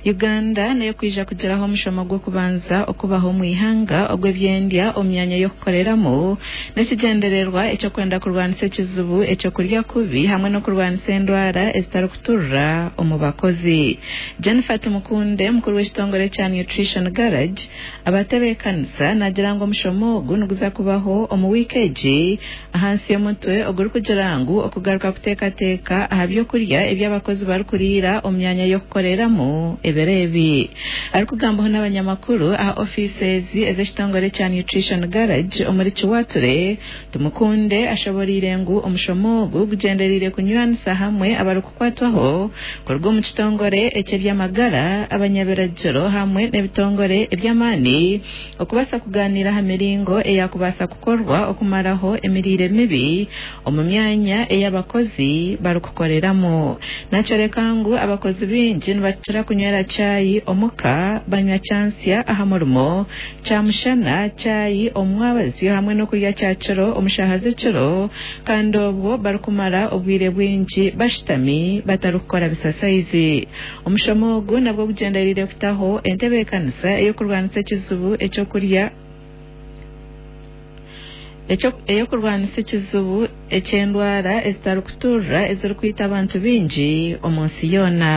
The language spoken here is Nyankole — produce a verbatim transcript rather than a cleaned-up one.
Uganda nayo kwija kugiraho omushomo gw'okubanza okubaho omu ihanga ogw'ebyendya omu myanya y'okukoreramu n'ekigyendererwa eky'okwenda kurwanisa ekizibu ekyokurya kubi hamwe n'okurwanisa endwara ezitarikuturira omu bakozi. Jennifer Tumukunde, mukuru w'ekitongore kya Nutrition Garage, abatebeekanisa nagira ngu omushomo ogu niguza kubaho omu wiiki egi ahansi y'omutwe ogurikugira ngu okugaruka kuteekateeka aha byokurya ebi abakozi barikuriira omu myanya y'okukoreramu ebiro ebi. Arikugambaho n'abanyamakuru aha ofiisi ezi ez'ekitongore kya Nutrition Garage omuri Kiwature, Tumukunde ashoboreire ngu omushomo ogu gugyendereire kunywanisa hamwe abarikukwatwaho kuruga omu kitongore eky'ebyamagara, abanyabiragiro hamwe n'ebitongore eby'amaani okubaasa kugaaniira aha miringo eyakubaasa kukorwa okumaraho emiriire mibi omu myanya ei abakozi barikukoreramu. Nakyoreka ngu abakozi baingi nibakira kunywera chai omuka, banywa kyansya aha murimo, kyamushana, chai omu mwabazyo hamwe n'okurya kyakiro omu shaaha z'ekiro kandi obwo barikumara obwire bwingi bashutami batarikukora bisasayizi. Omushomo ogu nabwo gugyendereire kutaho entebeekanisa ey'okurwanisa ekizibu ekyokurya ey'okurwanisa ekizibu eky'endwara ezitarikuturira ezirikwita abantu baingi omu nsi yoona.